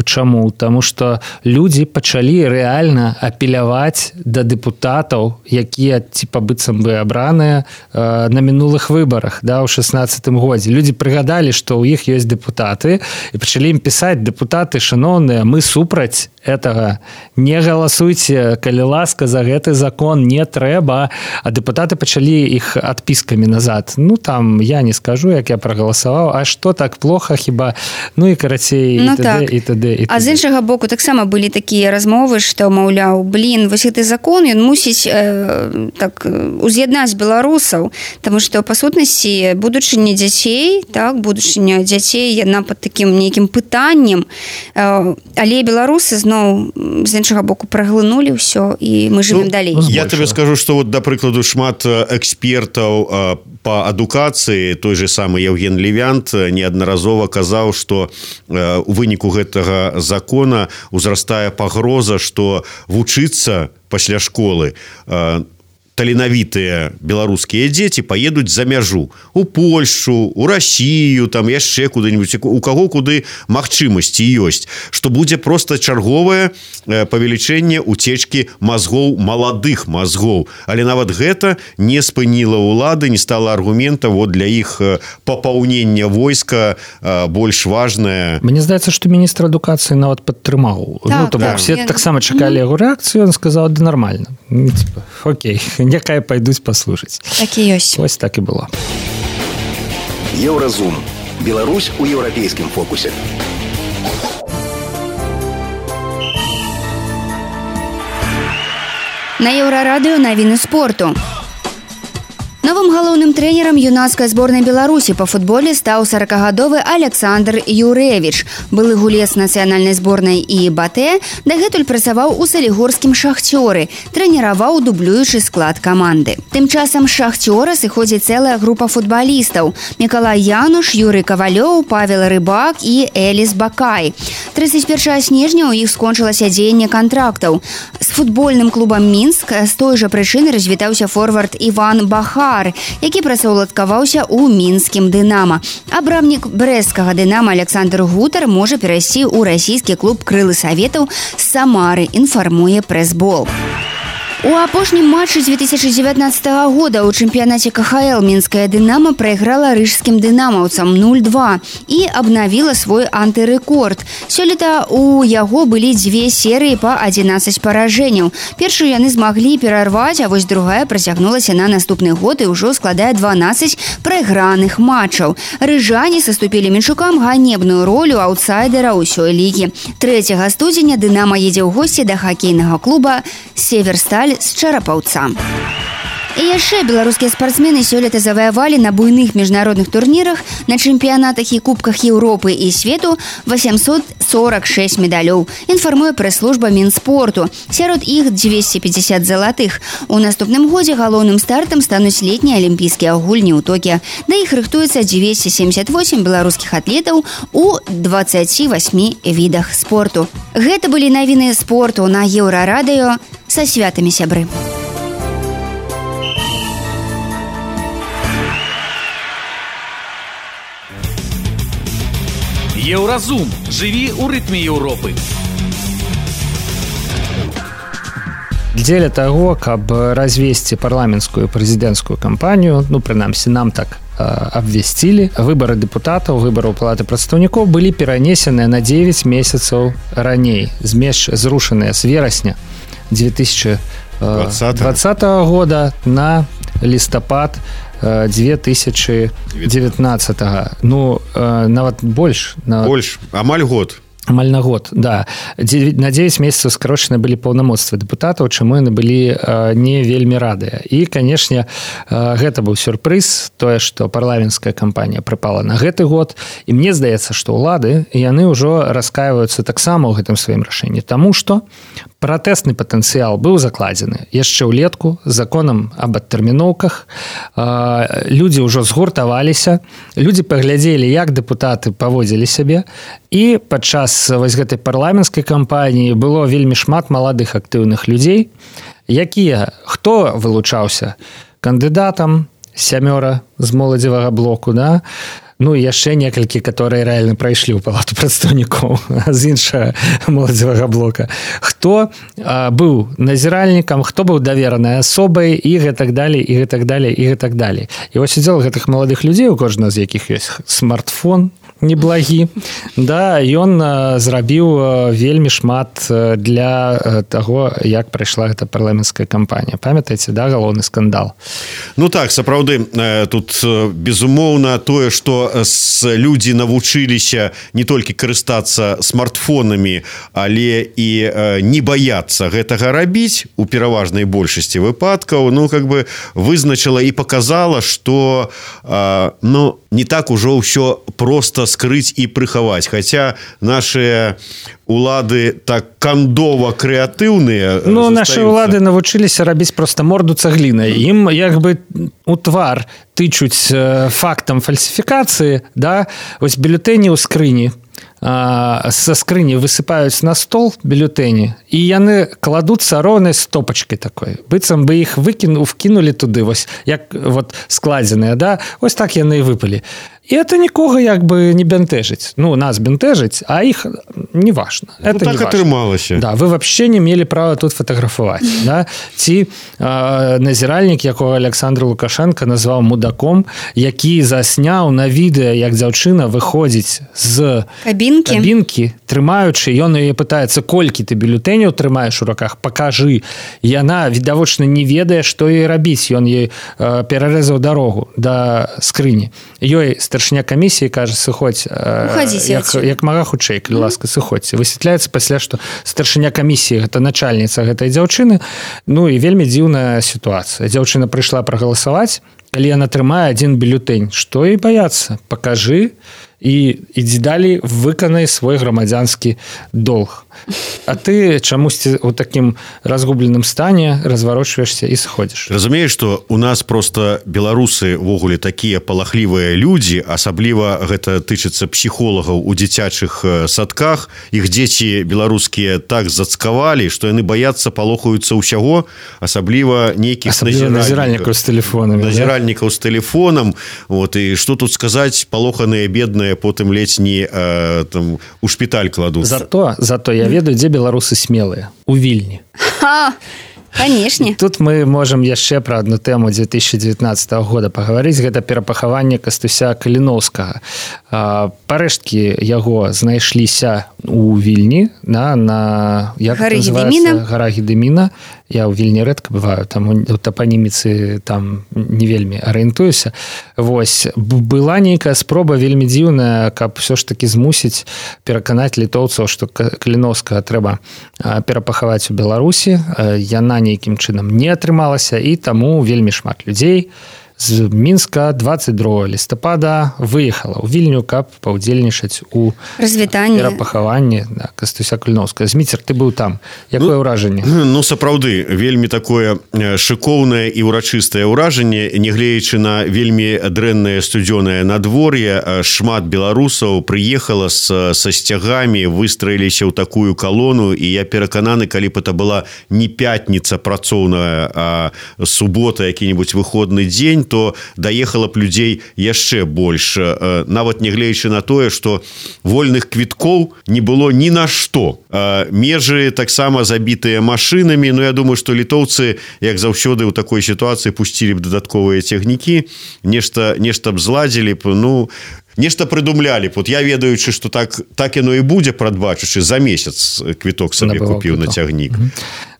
Чаму? Таму што людзі пачалі рэальна апеляваць да дэпутатаў, якія, типа, быццам бы абраныя на мінулых выбарах, да, ў шаснаццатым годзе. Людзі прыгадалі, што ў іх ёсць дэпутаты, і пачалі ім пісаць: дэпутаты, шаноўныя, мы супраць этого, не галасуйце, калі ласка, за гэты закон не трэба. А дэпутаты пачалі іх адпіскамі назад. Ну, там, я не скажу, як я прагаласаваў, а што так плохо хіба? Ну, і карацей, ну, і т.д. так. і т.д. і т.д. А з іншага боку, таксама былі такія размовы, што, маўляў, блін, вось гэты закон, ён мусіць э, так, уз'яднаць беларусаў, таму што, па сутнасці, будучыня дзяцей, так, будучыня дзяцей, яна пад такім нейкім пытаннем, э, але беларусы зноў з іншага боку праглынулі ўсё, і мы жывем ну, далей. Я табе скажу, што вот, да прыкладу, шмат экспертаў па адукацыі, той же самы Евген Левянт неаднаразова казаў, што у выніку гэтага закона узрастае пагроза, што вучыцца пасля школы таленавітыя беларускія дзеці паедуць за мяжу у Польшу, у Россию, там яшчэ куды-нибудь, у каго куды магчымасці ёсць, што будзе просто чарговае павелічэнне уцечкі мазгоў, маладых мазгоў. Але нават гэта не спыніла ўлады, не стала аргумента вот для іх папаўнення войска больш важнае. Мне здаецца, што міністр адукацыі нават падтрымаў. Так, ну, то так, все я... таксама чакалі яго рэакцыю, ён сказаў: да нормально. Ну, типа, окей, някая пайдуць паслушаць. Так і ёсць. Вось так і было. Еўразум. Беларусь у еўрапейскім фокусе. На Еўрарадыё навіны спорту. Новым галоўным трэнерам юнацкай зборнай Беларусі па футболе стаў саракагадовы Александр Юрэвіч. Былы гулец нацыянальнай зборнай і БАТЭ, дагэтуль працаваў у салігорскім «Шахцёры», трэніраваў дублюючы склад каманды. Тым часам з «Шахцёра» сыходзіць цэлая група футбалістаў: Мікалай Януш, Юрый Кавалёў, Павел Рыбак і Эліс Бакай. трыццаць першага снежня ў іх скончылася дзеянне кантрактаў. З футбольным клубам «Мінск» з той жа прычыны развітаўся форвард Іван Бахар, які працаўладкаваўся ў мінскім «Дынама». Абрамнік брэсцкага «Дынама» Александр Гутар можа перайсці ў расійскі клуб «Крылы Саветаў» з Самары, інфармуе прэс-бол. У апошнім матчы дзве тысячы дзевятнаццатага года ў чэмпіянаце ка ха эл мінская «Дынама» прайграла рыжскім «Дынамаўцам» нуль два і абнавіла свой антырэкорд. Сёлета у яго былі дзве серыі па адзінаццаць паражэнняў. Першую яны змаглі перарваць, а вось другая працягнулася на наступны год і ўжо складае дванаццаць прайграных матчаў. Рыжане саступілі менчукам ганебную ролю аўтсайдера ўсёй лігі. трэцяга студзеня «Дынама» едзе ў госці да хакейнага клуба «Северсталь» з Чарапаўца. І яшчэ беларускія спартсмены сёлета заваявалі на буйных міжнародных турнірах, на чэмпіянатах і кубках Еўропы і свету восемьсот сорок шесть медалёў, інфармуе прэс-служба Мінспорту. Сярод іх дзвесце пятьдесят залатых. У наступным годзе галоўным стартам стануць летнія алімпійскія гульні ў Токіа. Да іх рыхтуецца дзвесце семьдесят восемь беларускіх атлетаў у двадцати восьми відах спорту. Гэта былі навіны спорту на Еўрарадыё. Са святамі, сябры. Еўразум. Жыві ў рытме Еўропы. Дзеля таго, каб развесці парламенцкую прэзідэнцкую кампанію, ну, прынамсі, нам так абвясцілі, выбары дэпутатаў, выбараў палаты прадстаўнікоў былі перанесеныя на дзевяць месяцаў раней, змеш зрушаныя з верасня две тысячи двадцатого года на лістапад две тысячи девятнадцатого. Ну, нават больш. Больш, амаль год. амаль на год, да. На девять месяцаў скарочаны былі паўнамоцтвы дэпутатаў, чаму яны былі не вельмі радыя. І, канешне, гэта быў сюрпрыз, тое, што парламенцкая кампанія прыпала на гэты год. І мне здаецца, што ўлады, яны ўжо раскаиваюцца таксама ў гэтым сваім рашэнні. Таму што пратэсны патэнцыял быў закладзены яшчэ ўлетку законам аб адтэрміноўках. Людзі ўжо згуртаваліся, людзі паглядзелі, як дэпутаты паводзілі сябе, і падчас вось гэтай парламенцкай кампаніі было вельмі шмат маладых актыўных людзей, якія, хто вылучаўся кандыдатам, сямёра з моладзевага блоку, да, ну і яшчэ некалькі, которые рэальна прайшлі ў палату прадстаўнікоў з іншага моладзевага блока. Хто а, быў назіральнікам, хто быў даверанай асобай і гэтак далей, і гэтак далей, і гэтак далей. І вось удзел гэтых маладых людзей, у кожнага з якіх ёсць смартфон, неблагі, да, ён зрабіў вельмі шмат для таго, як прайшла гэта парламенцкая кампанія. Памятаеце, да, галоўны скандал? Ну так, сапраўды, тут безумоўна тое, што людзі навучыліся не толькі карыстацца смартфонамі, але і не баяцца гэтага рабіць у пераважнай большасці выпадкаў, ну, как бы вызначыла і паказала, што, ну, не так ужо ўсё проста скрыць і прыхаваць, хаця нашыя улады так кандова крэатыўныя. Ну, нашы улады навучыліся рабіць проста морду цаглінай. Ім як бы у твар тычуць фактам фальсіфікацыі, да, вось бюлетэні ў скрыні, са скрыні высыпаюць на стол бюлетэні, і яны кладуцца роўнай стопачкай такой. Быццам бы іх выкіну, вкінулі туды, вось, як вот складзеныя, да, вось так яны і выпалі. І это нікога як бы не бянтэжыць. Ну, нас бянтэжыць, а іх не важна. Ну, это так атрымалася. Да, вы вообще не мелі права тут фатаграфаваць. Да? Ці э, назіральнік, якога Александр Лукашенко назваў мудаком, які засняў на відэа, як дзяўчына выходзіць з кабінкі, кабінкі трымаючы, ён яе пытаецца, колькі ты бюлетэняў трымаеш у руках, пакажы. Яна, відавочна, не ведае, што ёй рабіць. Ён ёй э, перарэзаў дарогу да скрыні. Ёй старшыня камісіі кажа, сыходзь, як, як мага хутчэй, калі ласка, сыходзьце. Высвятляецца пасля, што старшыня камісіі гэта начальніца гэтай дзяўчыны. Ну і вельмі дзіўная сітуацыя. Дзяўчына прыйшла прагаласаваць, калі яна трымае адзін бюлетэнь. Што ёй баяцца? Пакажы і ідзі далей, выканай свой грамадзянскі долг. А ты чамусьці ў такім разгубленым стане разварочваешся і сыходзіш. Разумееш, што у нас просто беларусы ўвогуле такія палахлівыя людзі, асабліва гэта тычыцца псіхолагаў у дзіцячых садках. Іх дзеці беларускія так зацкавалі, што яны баяцца, палохаюцца ўсяго, асабліва нейкіх назіральнікаў з тэлефонамі. Назіральнікаў з тэлефонам. Вот, і што тут сказаць, палоханыя бедныя потым ледзь не э, там, у шпіталь кладуцца. Зато, зато я ведаю, дзе беларусы смелыя. У Вільні. Ха! Конечно. Тут мы можам яшчэ пра адну тэму две тысячи девятнадцатого года пагаварыць. Гэта перапахаванне Кастуся Каліноўскага. Парэшткі яго знайшліся у Вільні на, на як гары Гедэміна. Гара Гедэміна. Я ў Вільні рэдка бываю, там у тапаніміцы там не вельмі арыентуюся. Вось, была нейкая спроба вельмі дзіўная, каб ўсё ж такі змусіць пераканаць літоўцаў, што Каліноўскага трэба перапахаваць у Беларусі. Яна нейкім чынам не атрымалася, і таму вельмі шмат людзей з Мінска двадцать другого лістапада выехала ў Вільню, каб паўдзельнічаць у развітанні, перапахаванні да, Кастуся Каліноўскага. Зміцер, ты быў там. Якое ўражанне? Ну, ну, сапраўды, вельмі такое шыкоўнае і ўрачыстае ўражанне, нягледзячы на вельмі дрэннае студзёнае надвор'е, шмат беларусаў прыехала с, са сцягамі, выстраіліся ў такую калону, і я перакананы, калі б это была не пятніца працоўная, а субота, які-небудзь выходны дзень, то даехала б людзей яшчэ больш. Нават нягледзячы на тое, што вольных квіткоў не было ні на што. Межы таксама забітыя машынамі, но я думаю, што літоўцы, як заўсёды ў такой сітуацыі, пусцілі б дадатковыя цягнікі, нешта, нешта б зладзілі б. Ну, нешта прыдумлялі. Вот я ведаючы, што так, так яно і будзе, прадбачучы, за месяц квіток сабе купіў на цягнік.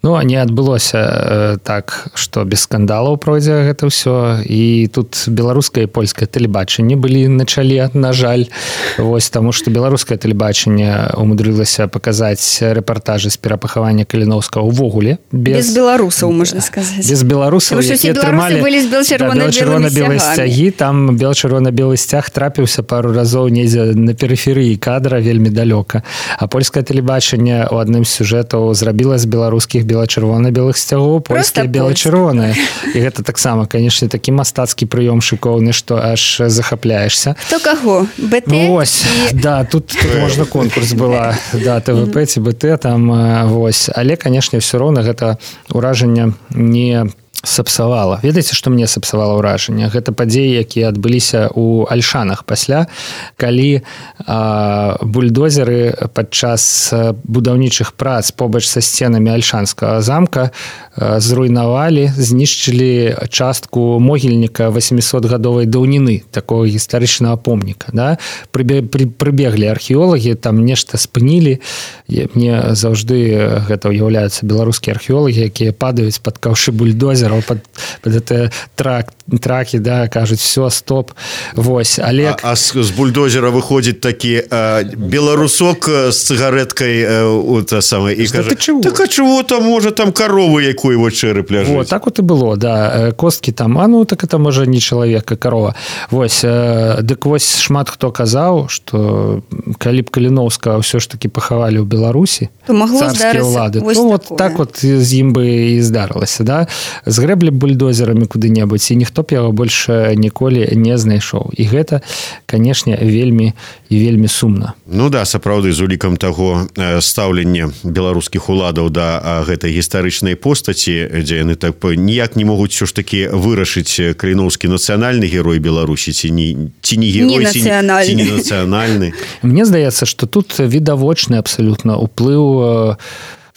Ну, не адбылося э, так, што без скандалаў пройдзе гэта ўсё. І тут беларускае і польскае тэлебачанне былі на чале, на жаль. Вось, таму што беларускае тэлебачанне умудрылася паказаць рэпартажы з перапахавання Каліноўскага ўвогуле. Без, без беларусаў, можна сказаць. Без беларусаў, якія трымалі бел-чырвона-белыя сцягі. Там бел-чырвона-белы сцяг трапіўся пару разоў недзе на перыферыі кадра, вельмі далёка. А польскае тэлебачанне ў адным з сюжэтаў зрабіла з беларускіх бела-чырвона-белых сцягоў польскія бела-чырвоныя. І гэта таксама, канешне, такі мастацкі прыём шыкоўны, што аж захапляешся. Хто каго? бэ тэ? Ну, ось, і... да, тут, тут можна конкурс была, да, тэ вэ пэ ці бэ тэ, там, вось. Але, канешне, ўсё роўна гэта ўражанне не сапсавала. Ведаеце, што мне сапсавала ўражанне? Гэта падзеі, якія адбыліся ў Альшанах пасля, калі а, бульдозеры падчас будаўнічых прац побач са сценамі Альшанскага замка а, зруйнавалі, знішчылі частку могільніка восьмісотгадовай даўніны, такого гістарычнага помніка. Да? Прыбеглі археолагі, там нешта спынілі. Мне заўжды гэта ўяўляюцца беларускія археолагі, якія падаюць пад каўшы бульдозера, под, под это трак, траки, да, кажуть, все, стоп. Вось, Олег... А, а с, с бульдозера выходит таки а, белорусок с цигареткой а, та самая, и кажет, так а чего там, может, там коровы якой его череп ляжит? Вот, так вот и было, да. Костки там, а ну, так это, может, не человек, а корова. Вось, дык вось шмат хто казаў, что калі б Каліноўскага все ж таки пахавалі ў Беларусі, царскія ўлады, то вот так вот з ім бы і здарылася, да? Згрэблі бульдозерамі куды-небудзь, і ніхто б яго больш ніколі не знайшоў. І гэта, канешне, вельмі і вельмі сумна. Ну да, сапраўды, з улікам таго стаўлення беларускіх уладаў да гэтай гістарычнай постаці, дзе яны так ніяк не могуць ўсё ж такі вырашыць Каліноўскі нацыянальны герой Беларусі, ці не, ці не герой, ці, ці не нацыянальны. Мне здаецца, што тут відавочны абсалютна ўплыў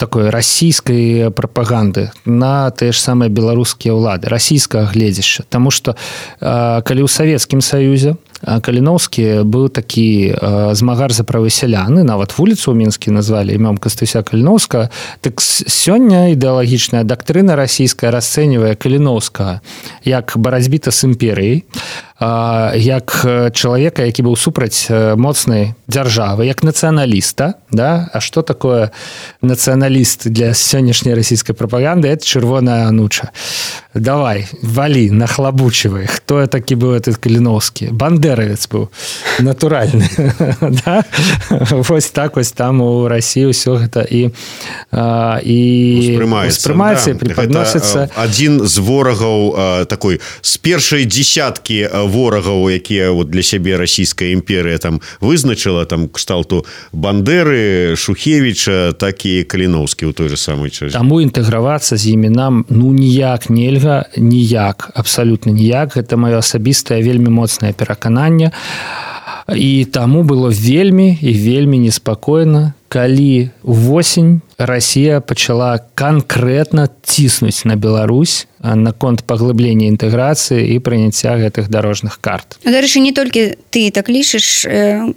такой расійскай прапаганды на тыя ж самыя беларускія ўлады, расійскага гледзяшча. Таму што калі ў Савецкім Саюзе Каліноўскі быў такі змагар за правы сялян, нават вуліцу ў Мінскі назвалі імём Кастуся Каліноўскага, так сёння ідэалагічная дактрына расійская расцэньвае Каліноўскага як барацьбіта з імперыяй, як чалавека, які быў супраць моцнай дзяржавы, як нацыяналіста, да? А што такое нацыяналіст для сённяшняй расійскай прапаганды? Это чырвоная ануча. Давай, валі, нахлабучивай. Хто такі быў этот Каліноўскі? Бандеравец быў, натуральны. Да? Вось так вось там у Расіі ўсё гэта і, і успрымаецца, да. Преподносіцца. Адзін з ворагаў такой, з першай дзесяткі ворагаў, якія вот для сябе расійская імперыя там вызначыла, там кшталту Бандеры, Шухевіча, так і Каліноўскі ў той же самой часе. Таму інтэгравацца з імі нам ну ніяк нельга, ніяк, абсалютна ніяк. Гэта маё асабістае вельмі моцнае перакананне. І таму было вельмі і вельмі неспакойна, калі ўвосень Расія пачала канкрэтна ціснуць на Беларусь наконт паглыблення інтэграцыі і прыняцця гэтых дарожных карт. Дарэчы, не толькі ты так лічыш,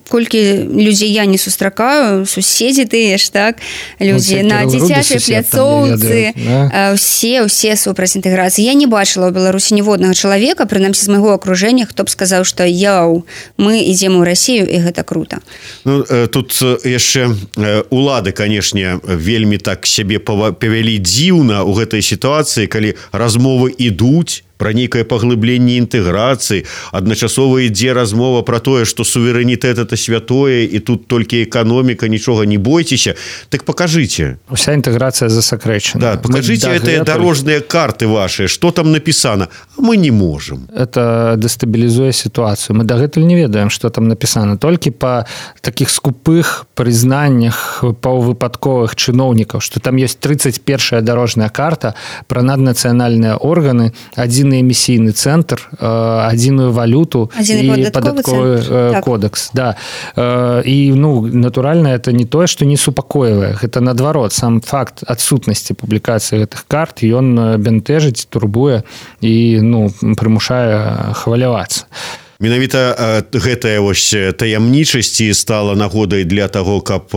колькі людзей я не сустракаю, суседзі тыя ж, так, людзі ну, на дзіцячай пляцоўцы, да? Усе, усе супраць інтэграцыі. Я не бачыла ў Беларусі ніводнага чалавека, прынамсі з майго акружэння, хто б сказаў, што яу, мы ідзем у Расію, і гэта крута. Ну, тут яшчэ улады, канешне, вельмі так сябе павялі дзіўна ў гэтай сітуацыі, калі размовы ідуць про нейкае паглыбленне інтэграцыі, адначасова ідзе размова про тое, што суверэнітэт это святое, і тут толькі эканоміка, нічога не бойцеся. Так покажите. Уся інтэграцыя засакрэчана. Да, покажите гэтыя дарожныя карты ваши, што там напісана. А мы не можем. Это дэстабілізуе сітуацыю. Мы дагэтуль не ведаем, што там напісана. Толькі па такіх скупых прызнаннях паўвыпадковых чыноўнікаў, што там ёсць тридцать першая дарожная карта пра наднацыянальныя органы, адзін эмісійны цэнтр, адзіную валюту і падатковы кодекс. Да. І, ну, натуральна, это не тое, што не супакоівае. Гэта, наадварот, сам факт адсутнасці публікацыі гэтых карт, ён бянтэжыць, турбуе і, ну, прымушае хвалявацца. Менавіта гэтая вось таямнічасць стала нагодай для таго, каб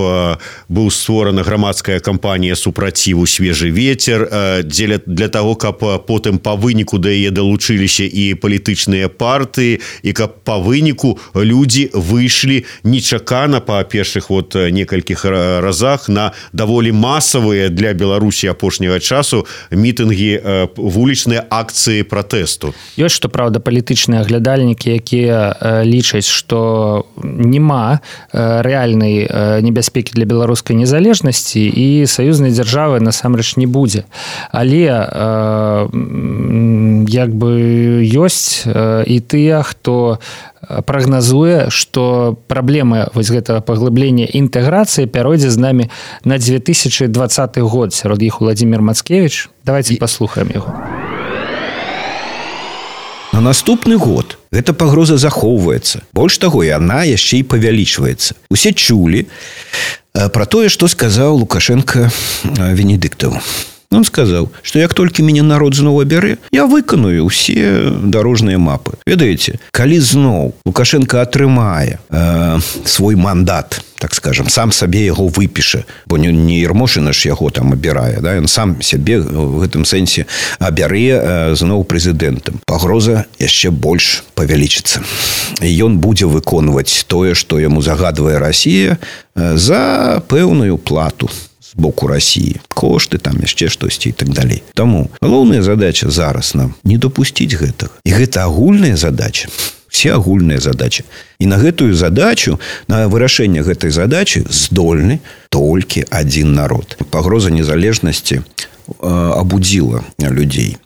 быў створана грамадская кампанія супраціву «Свежы ветер», дзеля для таго, каб потым па выніку да яе далучыліся і палітычныя партыі, і каб па выніку людзі выйшлі нечакана па першых вот некалькіх разах на даволі масавыя для Беларусі апошняга часу мітынгі, вулічныя акцыі пратэсту. Ёсць, што праўда, палітычныя аглядальнікі, якія лічаць, што няма рэальнай небяспекі для беларускай незалежнасці і саюзнай дзяржавы насамрэч не будзе. Але як бы ёсць і тыя, хто прагназуе, што праблема вось гэтага паглыблення інтэграцыі пяройдзе з намі на две тысячы двадцаты год. Сярод іх Владзімір Мацкевіч. Давайте паслухаем яго. На наступны год гэта пагроза захоўваецца. Больш таго, яна яшчэ і павялічваецца. Усе чулі пра тое, што сказаў Лукашенко Венедыктаву. Он сказаў, што як толькі мяне народ зноў абярэ, я выканую ўсе дарожныя мапы. Ведаеце, калі зноў Лукашенко атрымае э, свой мандат, так скажем, сам сабе яго выпіша, бо не, не Ермошына ж яго там абірае, да? Ён сам сябе в гэтым сэнсе абярэ э, зноў прэзідэнтам. Пагроза яшчэ больш павялічыцца. І ён будзе выконваць тое, што яму загадвае Расія э, за пэўную плату з боку России, кошты, там яшчэ штосьці і так далей. Таму галоўная задача зараз нам не допусціць гэтага. І гэта агульная задача. Все агульныя задачи. І на гэтую задачу, на вырашэнне гэтай задачи здольны толькі адзін народ. Пагроза незалежнасці э, абудзіла людзей.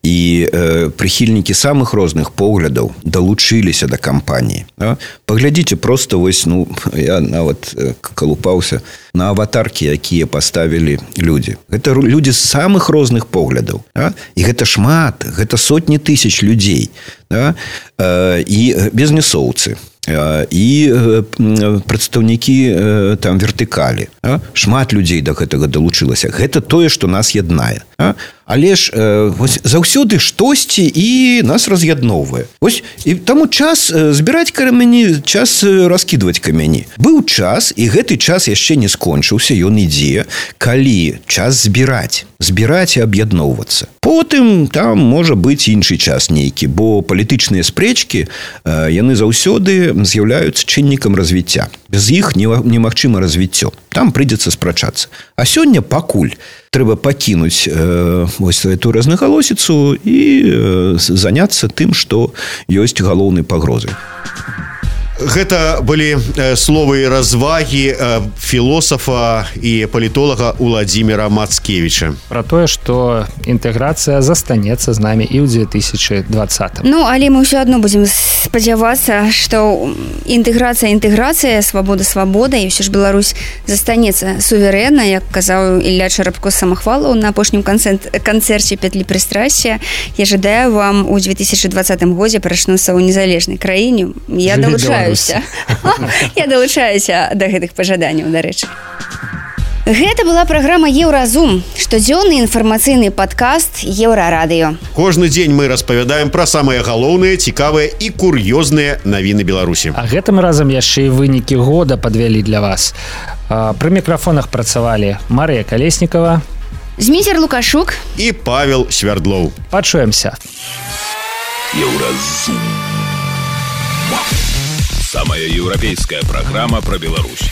І э, прыхільнікі самых розных поглядаў далучыліся да кампаніі. Да? Паглядзіце просто вось, ну, я нават э, калупаўся на аватаркі, якія паставілі людзі. Гэта людзі з самых розных поглядаў. Да? І гэта шмат, гэта сотні тысяч людзей. Да? Э, і бізнесоўцы. І прадстаўнікі там вертыкалі. Шмат людзей да гэтага далучылася. Гэта тое, што нас яднае. Але ж вось, заўсёды штосьці і нас раз'ядноўвае. Вось, і таму час збіраць камяні, час раскідваць камяні. Быў час, і гэты час яшчэ не скончыўся, ён ідзе, калі час збіраць. Збіраць і аб'ядноўвацца. Потым там можа быць іншы час нейкі, бо палітычныя спрэчкі, яны заўсёды з'яўляюцца чыннікам развіцця. Без іх немагчыма развіццё. Там прыйдзецца спрачацца. А сёння пакуль трэба пакінуць э, вось эту рознагалосіцу і э, заняцца тым, што ёсць галоўнай пагрозай. Гэта былі словы развагі філосафа і палітолага Владзіміра Мацкевіча. Пра тое, што інтэграцыя застанецца з намі і ў две тысячы двадцатым. Ну, але мы ўсё адно будзем спадзявацца, што інтэграцыя, інтэграцыя, свабода, свабода, і ўсё ж Беларусь застанецца суверэнна, як казаў Ілля Чарапко-Самахвалаў на апошнім канцэрце «Петлі прыстрасця». Я жадаю вам у две тысячы двадцатым годзе прачнуцца ў незалежнай краіне. Я далучаю Я далучаюся да гэтых пажаданняў, дарэчы. Гэта была праграма «Еўразум», штодзённы інфармацыйны падкаст «Еўрарадыё». Кожны дзень мы распавядаем пра самыя галоўныя, цікавыя і кур'ёзныя навіны Беларусі. А гэтым разам яшчэ і вынікі года падвялі для вас. Пры мікрафонах працавалі Марыя Калеснікава, Зміцер Лукашук і Павел Свярдлоў. Пачуемся. «Еўразум». Самая европейская программа про Беларусь.